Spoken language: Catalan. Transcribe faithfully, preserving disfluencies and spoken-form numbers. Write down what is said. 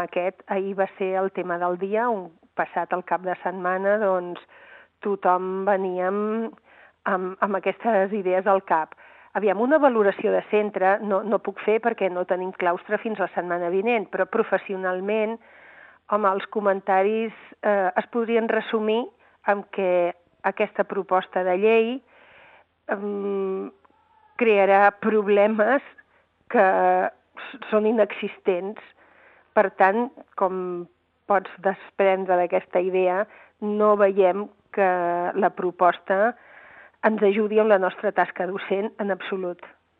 aquest. Ahir va ser el tema del dia, un, passat el cap de setmana, doncs tothom veníem amb, amb aquestes idees al cap. Aviam, una valoració de centre no, no puc fer perquè no tenim claustre fins la setmana vinent, però professionalment, home, els comentaris eh, es podrien resumir amb que aquesta proposta de llei eh, crearà problemes que són inexistents. Per tant, com pots desprendre d'aquesta idea, no veiem que la proposta ens ajudi en la nostra tasca docent en absolut.